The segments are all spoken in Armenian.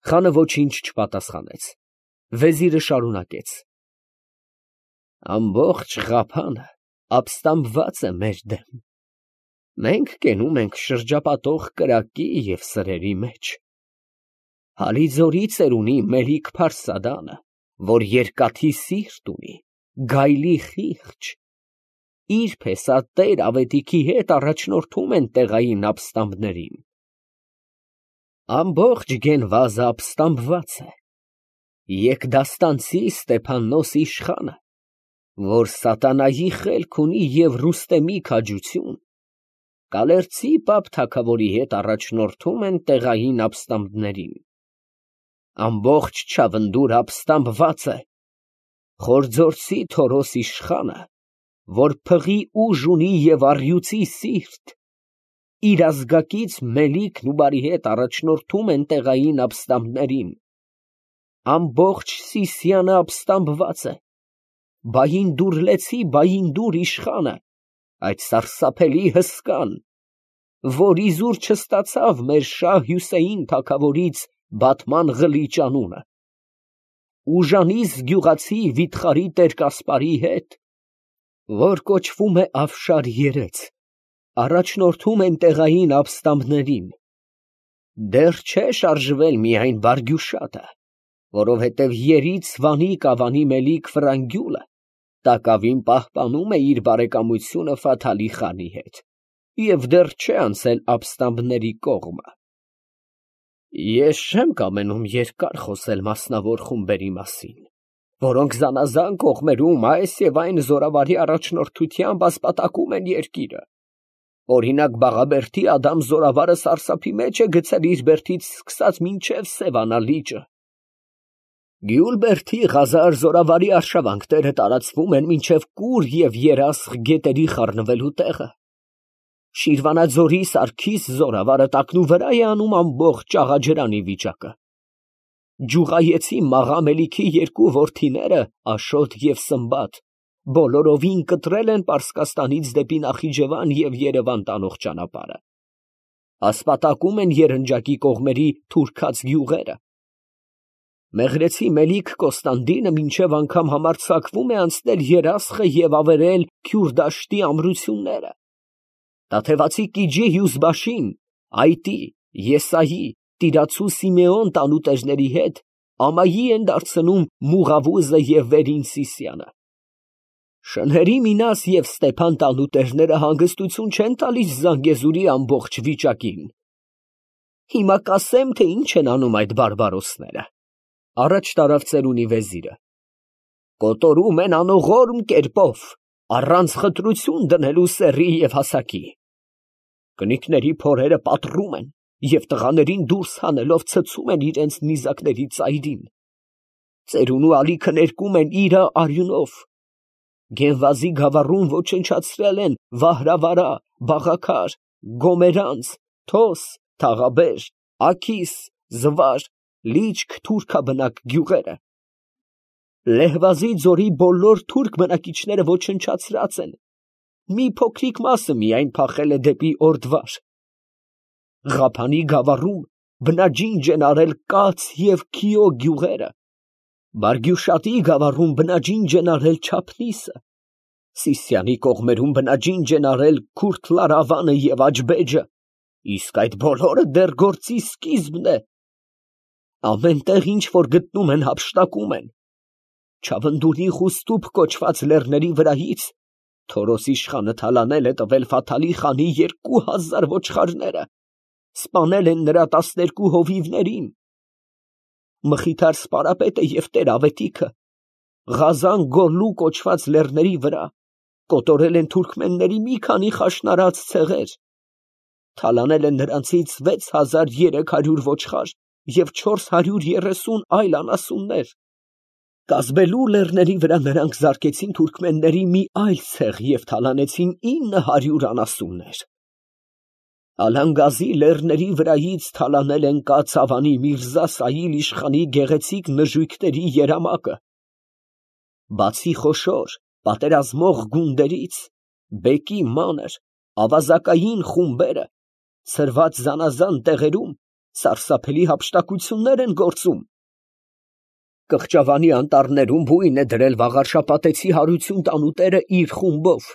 Խանը ոչինչ չպատասխանեց։ Վեզիրը շարունակեց. Ամբողջ Ղափանը ապստամբված է մեր դեմ։ Մենք կենում ենք շրջապատող կրակի և սրերի մեջ։ Հալիձորի ծերունի Մելիք-Փարսադանը, որ երկաթի սիրտ ունի, գայլի խիղճ, իր փեսատեր Ավետիքի հետ առաջնորդում են տեղային ապստամբներին։ Ամբողջ Գենվազը ապստամբված է։ Եկդաստանցի Ստեփաննոս իշխանը, որ սատանայի խելք ունի և Ռուստեմի քաջություն, Կալերցի պապ թագավորի հետ առաջնորդում են տեղային ապստամբներին։ Ամբողջ Չավնդուր ապստամբված է։ Խորձորցի Թորոս իշխանը, որ փղի ուժ ունի և առյուծի սիրտ, իր ազգակից Մելիքն ու բարի հետ առաջնորդում են տեղային ապստամբներին։ Ամբողջ Սիսիանը ապստամբված է։ Բայինդուր Բայինդուր իշխանը, այդ սարսափելի հսկան, որ իզուր չստացավ մեր Շահ Հյուսեյն թագավորից Բաթման Ղլիճ անունը, Ուժանիս գյուղացի վիթխարի տեր Կասպարի հետ, որ կոչվում է Աֆշար երեց, առաջնորդում են տեղային ապստամբներին։ Դեռ չէ շարժվել միայն Բարգյուշատը, որովհետև երից Վանի Կավանի Մելիք Ֆրանգյուլը տակավին պահպանում է իր բարեկամությունը Ֆաթալի խանի հետ և դեռ չէ անցել ապստամբների կողմը։ Ես չեմ կամենում երկար խոսել մասնավոր խումբերի մասին, որոնք զանազան կողմերում այս և այն զորավարի առաջնորդությամբ ասպատակում են երկիրը։ Օրինակ Բաղաբերդի Ադամ զորավարը սարսափի մեջ է գցել իր բերդից սկսած մինչև Սևանա լիճը։ Գյուլբերդի Ղազար զորավարի արշավանքները տարածվում են մինչև Կուր և Երասխ գետերի խառնվելու տեղը։ Շիրվանաձորի Սարգիս զորավարը տակնուվրա է անում ամբողջ Աղաջրանի վիճակը։ Ջուղայեցի Մաղա Մելիքի երկու որդիները Աշոտ և Սմբատ բոլորովին կտրել են Պարսկաստանից դեպի Նախիջևան և Երևան տանող ճանապարհը։ Ասպատակում են երնջակի կողմերի թուրքած գյուղերը։ Մեղրեցի Մելիք Կոստանդինը մինչև անգամ համարձակվում է անցնել Երասխը և ավերել Քյուրդաշտի ամրությունները։ Տաթևացի Կիջի Հյուզբաշին Այտի, Եսայի, Տիրացու Սիմեոն տանուտերների հետ ամայի են դարձնում Մուղավուզը և Վերին Սիսիանը։ Շնհերի Մինաս և Ստեփան տանուտերները հանգստություն չեն տալիս Զանգեզուրի ամբողջ վիճակին։ Հիմա կասեմ, թե ինչ են անում այդ բարբարոսները։ Առաջ տարավ ծերունի վեզիրը։ Կոտորում են անողորմ կերպով, առանց խտրություն դնելու սեռի և հասակի։ Կնիկների փորերը պատռում են և տղաներին դուրս հանելով ցցում են իրենց նիզակների ծայրին։ Ծերունու ալիքը ներկում են իրը արյունով։ Գենվազի գավառում ոչնչացրել են Վահրավարա, Բաղաքար, Գոմերանց, Թոս, Թաղաբեր, Աքիս, Զվար, Լիճք թուրքաբնակ գյուղերը։ Լեհվազի ձորի բոլոր թուրք բնակիչները ոչնչացրած են, մի փոքրիկ մասը միայն փախել է դեպի Օրդվար։ Ղափանի գավառում բնաջինջ են արել Կաց և Քիո գյուղերը, Բարգյուշատի գավառում բնաջինջ են արել Չափնիսը, Սիսիանի կողմերում բնաջինջ են արել Քուրթլարավանը և Աջբեջը, իսկ այդ բոլորը դեռ գործի սկիզբն է։ Ամեն տեղ, ինչ որ գտնում են, հափշտակում են։ Չավնդունի Խուստուփ կոչված լեռների վրայից Թորոս իշխանը թալանել է տվել Ֆաթալի խանի 2000 ոչխարները, սպանել են նրա 12 հովիվներին։ Մխիթար Սպարապետը և տեր Ավետիքը Ղազան Գորլու կոչված լեռների վրա կոտորել են թուրքմենների մի քանի խաշնարած ցեղեր, թալանել են նրանցից 6300 ոչխար և 430 այլ անասուններ։ Կազբելու լեռների վրա նրանք զարկեցին թուրքմենների մի այլ ցեղ և թալանեցին 900 անասուններ։ Ալանգազի լեռների վրայից թալանել են Կացավանի Միրզա Սայիլ իշխանի գեղեցիկ նժույգների երամակը։ Բացի խոշոր պատերազմող գունդերից, բեկի մանր, ավազակային խումբերը ցրված զանազան տեղերում Սարսափելի հափշտակություններ են գործում։ Կղճավանի անտառներում բույն է դրել Վաղարշապատեցի հարություն տանուտերը իր խումբով։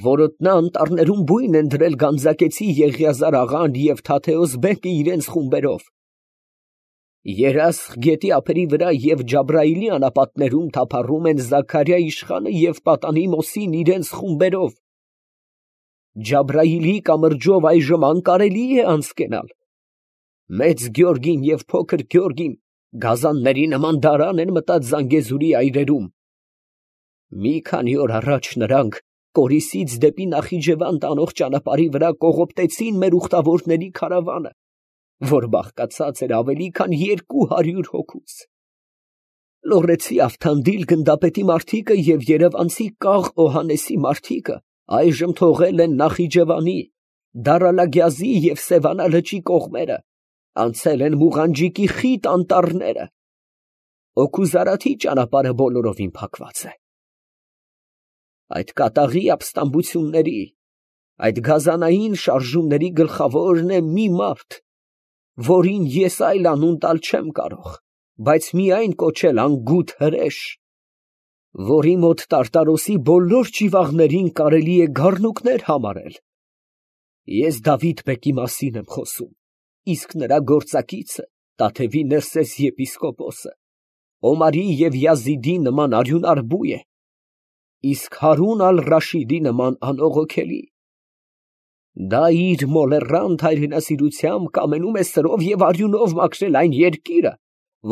Որոտնա անտառներում բույն են դրել Գանձակեցի Եղիազար աղան և Թաթեոս բեկը իրենց խումբերով։ Երասխ գետի ափերի վրա և Ջաբրայիլի անապատներում թափառում են Զաքարյա իշխանը և Պատանի Մոսին իրենց խումբերով։ Ջաբրայիլի կամրջով այժմ անկարելի է անցկենալ։ Մեծ Գյորգին և փոքր Գյորգին գազանների նման դարան են մտած Զանգեզուրի այրերում։ Մի քանի օր առաջ նրանք Կորիսից դեպի Նախիջևան տանող ճանապարհի վրա կողոպտեցին մեր ուխտավորների քարավանը, որ բաղկացած էր ավելի քան 200 հոգուց։ Լոռեցի Ավթանդիլ գնդապետի մարդիկը և երևանցի Կաղ Օհաննեսի մարդիկը այժմ թողել են Նախիջևանի, Դարալագյազի և Սևանա լճի կողմերը, անցել են Մուղանջիկի խիտ անտառները։ Օգուզարաթի ճանապարհը բոլորովին փակված է։ Այդ կատաղի ապստամբությունների, այդ գազանային շարժումների գլխավորն է մի մարդ, որին ես այլ անուն տալ չեմ կարող, բայց միայն կոչել անգութ հրեշ, որի մոտ Տարտարոսի բոլոր ճիվաղներին կարելի է գառնուկներ համարել։ Ես Դավիթ բեկի մասին եմ խոսում, իսկ նրա գործակիցը Տաթևի Ներսես եպիսկոպոսը Օմարի և Յազիդի նման արյունար բույ է, իսկ Հարուն ալ֊Ռաշիդի նման անողոքելի։ Դա իր մոլեռանդ հայրենասիրությամբ կամենում է սրով և արյունով մաքրել այն երկիրը,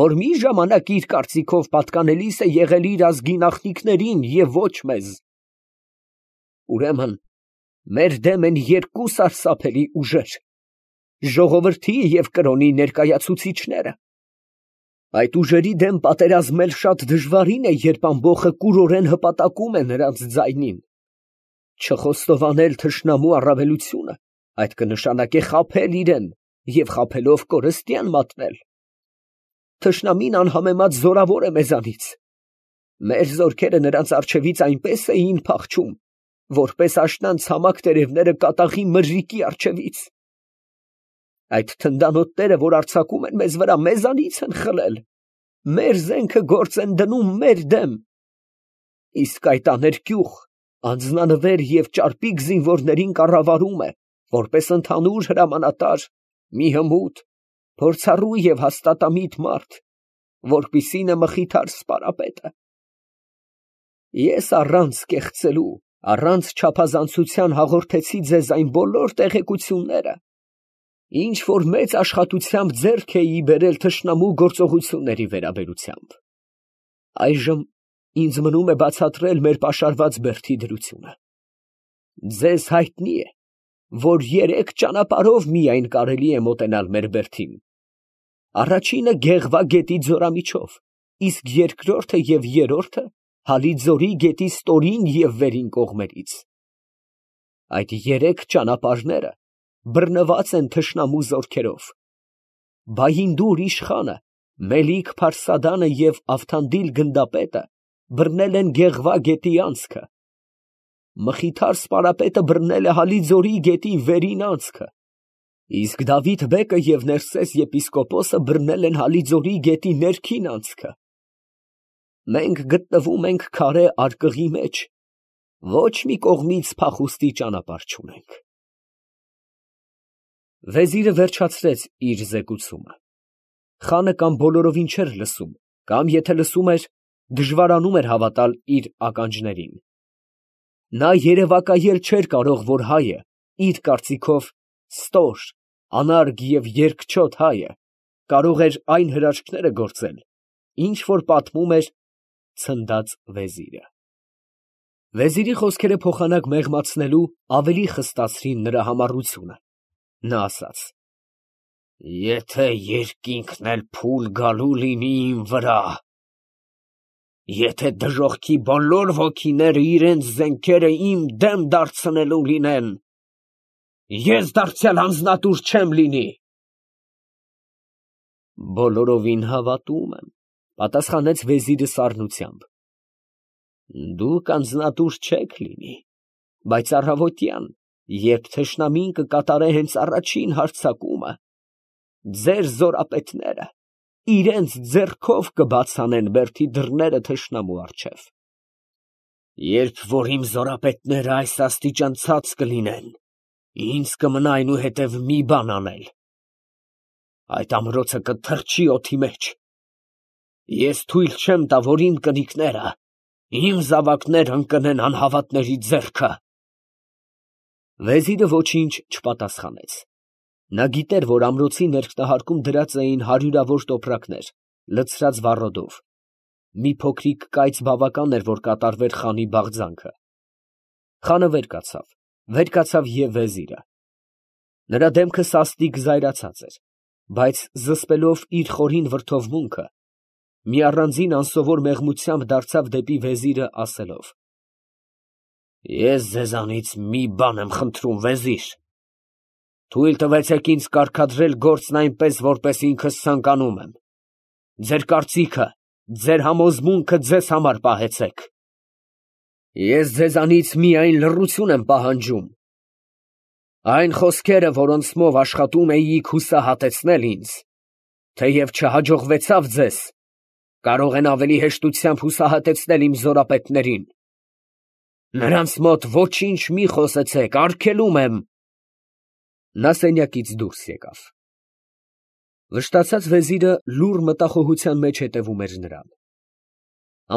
որ մի ժամանակ իր կարծիքով պատկանելիս է եղել իր ազգի նախնիքներին և ոչ մեզ։ Ուրեմն մեր դեմ են երկու սարսափելի ուժեր, ժողովրդի և կրոնի ներկայացուցիչները։ Այդ ուժերի դեմ պատերազմել շատ դժվարին է, երբ ամբոխը կուրորեն հպատակում է նրանց ձայնին։ Չխոստովանել թշնամու առավելությունը, այդ կնշանակե խաբել իրեն և խաբելով կորստյան մատնել։ Թշնամին անհամեմատ զորավոր է մեզանից։ Մեր զորքերը նրանց առջևից այնպես էին փախչում, որպես աշնան ցամաք տերևները կատաղի մրրիկի առջևից։ Այդ թնդանոթները, որ արձակում են մեզ վրա, մեզանից են խլել, մեր զենքը գործ են դնում մեր դեմ։ Իսկ այդ աներկյուղ, անձնանվեր և ճարպիկ զինվորներին կառավարում է, որպես ընդհանուր հրամանատար, մի հմուտ, փորձառու և հաստատամիտ մարդ, որպիսին է Մխիթար սպարապետը։ Ես առանց կեղծելու, առանց չափազանցության հաղորդեցի ձեզ այն բոլոր տեղեկությունները, ինչ որ մեծ աշխատությամբ ձեռք էի բերել թշնամու գործողությունների վերաբերությամբ։ Այժմ ինձ մնում է բացատրել մեր պաշարված բերդի դրությունը։ Ձեզ հայտնի է, որ 3 ճանապարհով միայն կարելի է մոտենալ մեր բերդին։ Առաջինը Գեղվա գետի ձորամիջով, իսկ երկրորդը և երրորդը Հալիձորի գետի ստորին և վերին կողմերից։ Այդ 3 ճանապարհները բռնված են թշնամու զորքերով։ Բայինդուր իշխանը, Մելիք-Փարսադանը և Ավթանդիլ գնդապետը բռնել են Գեղվա գետի անցքը։ Մխիթար սպարապետը բռնել է Հալիձորի գետի վերին անցքը, իսկ Դավիթ բեկը և Ներսես եպիսկոպոսը բռնել են Հալիձորի գետի ներքին անցքը։ Մենք գտնվում ենք քարե արկղի մեջ, ոչ մի կողմից փախուստի ճանապարհ չունենք։ Վեզիրը վերջացրեց իր զեկուցումը։ Խանը կամ բոլորովին չէր լսում, կամ եթե լսում էր, դժվարանում էր հավատալ իր ականջներին։ Նա երևակայել չէր կարող, որ հայը, իր կարծիքով ստոր, անարգ և երկչոտ հայը, կարող էր այն հրաշքները գործել, ինչ որ պատմում էր ցնդած վեզիրը։ Վեզիրի խոսքերը փոխանակ մեղմացնելու ավելի խստացրին նրա համառությունը։ Նա ասաց. Եթե երկինքն էլ փուլ գալու լինի իմ վրա, եթե դժոխքի բոլոր ոգիները իրենց զենքերը իմ դեմ դարձնելու լինեն, ես դարձյալ անձնատուր չեմ լինի։ Բոլորովին հավատում եմ, պատասխանեց վեզիրը սառնությամբ։ Դուք անձնատուր չեք լինի, բայց առավոտյան, երբ թշնամին կկատարե հենց առաջին հարձակումը, ձեր զորապետները իրենց ձեռքով կբացանեն բերդի դռները թշնամու առջև։ Երբ որ իմ զորապետները այս աստիճան ցած կլինեն, ինձ կմնա այնուհետև մի բան անել. այդ ամրոցը կթռչի օդի մեջ։ Ես թույլ չեմ տա, որ իմ կնիկները, իմ զավակները ընկնեն անհավատների ձեռքը։ Վեզիրը ոչինչ չպատասխանեց։ Նա գիտեր, որ ամրոցի ներքնահարկում դրած էին հարյուրավոր տոպրակներ, լցրած վառոդով։ Մի փոքրիկ կայծ բավական էր, որ կատարվեր խանի բաղձանքը։ Խանը վեր կացավ և վեզիրը։ Նրա դեմքը սաստիկ զայրացած էր, բայց զսպելով իր խորին վրդովմունքը, մի առանձին անսովոր մեղմությամբ դարձավ դեպի վեզիրը, ասելով. Ես ձեզանից մի բան եմ խնդրում, վեզիր. թույլ տվեցեք ինձ կարգադրել գործն այնպես, որպես ինքս ցանկանում եմ։ Ձեր կարծիքը, ձեր համոզմունքը ձեզ համար պահեցեք։ Ես ձեզանից միայն լռություն եմ պահանջում։ Այն խոսքերը, որոնցմով աշխատում էիք հուսահատեցնել ինձ, թեև չհաջողվեցավ ձեզ, կարող են ավելի հեշտությամբ հուսահատեցնել իմ զորապետներին։ Նրանց մոտ ոչինչ մի խոսեցեք, արգելում եմ։ Նա սենյակից դուրս եկավ։ Վշտացած վեզիրը լուռ մտախոհության մեջ հետևում էր նրան։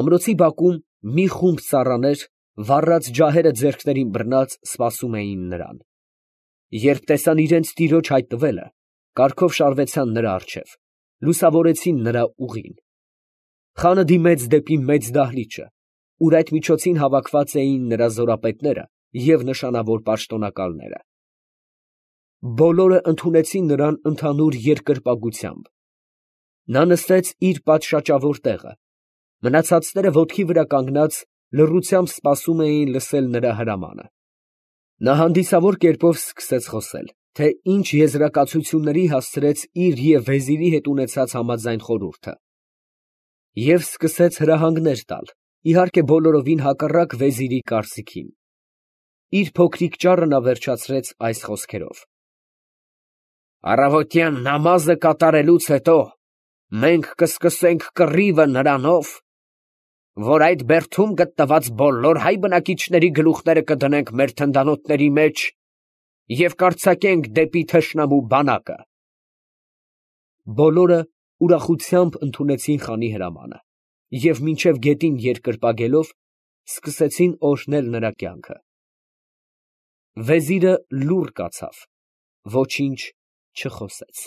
Ամրոցի բակում մի խումբ ծառաներ, վառած ջահերը ձեռքներին բռնած, սպասում էին նրան։ Երբ տեսան իրենց տիրոջ հայտնվելը, կառքով շարվեցան նրա առջև, լուսավորեցին նրա ուղին։ Խանը դիմեց դեպի մեծ դահլիճը, ուր այդ միջոցին հավաքված էին նրա զորապետները և նշանավոր պաշտոնակալները։ Բոլորը ընդունեցին նրան ընդհանուր երկրպագությամբ։ Նա նստեց իր պատշաճավոր տեղը, մնացածները ոտքի վրա կանգնած լռությամբ սպասում էին լսել նրա հրամանը։ Նա հանդիսավոր կերպով սկսեց խոսել, թե ինչ եզրակացությունների հասցրեց իր և վեզիրի հետ ունեցած համաձայն խորհուրդը։ Եվ սկսեց հրահանգներ տալ, իհարկե բոլորովին հակառակ վեզիրի կարծիքին։ Իր փոքրիկ ճառը նա վերջացրեց այս խոսքերով. Առավոտյան նամազը կատարելուց հետո մենք կսկսենք կռիվը նրանով, որ այդ բերդում գտնված բոլոր հայ բնակիչների գլուխները կդնենք մեր թնդանոթների մեջ և կարձակենք դեպի թշնամու բանակը։ Բոլորը ուրախությամբ ընդունեցին խանի հրամանը և մինչև գետին երկրպագելով սկսեցին օրհնել նրա կյանքը։ Վեզիրը լուռ կացավ, ոչինչ չխոսեց։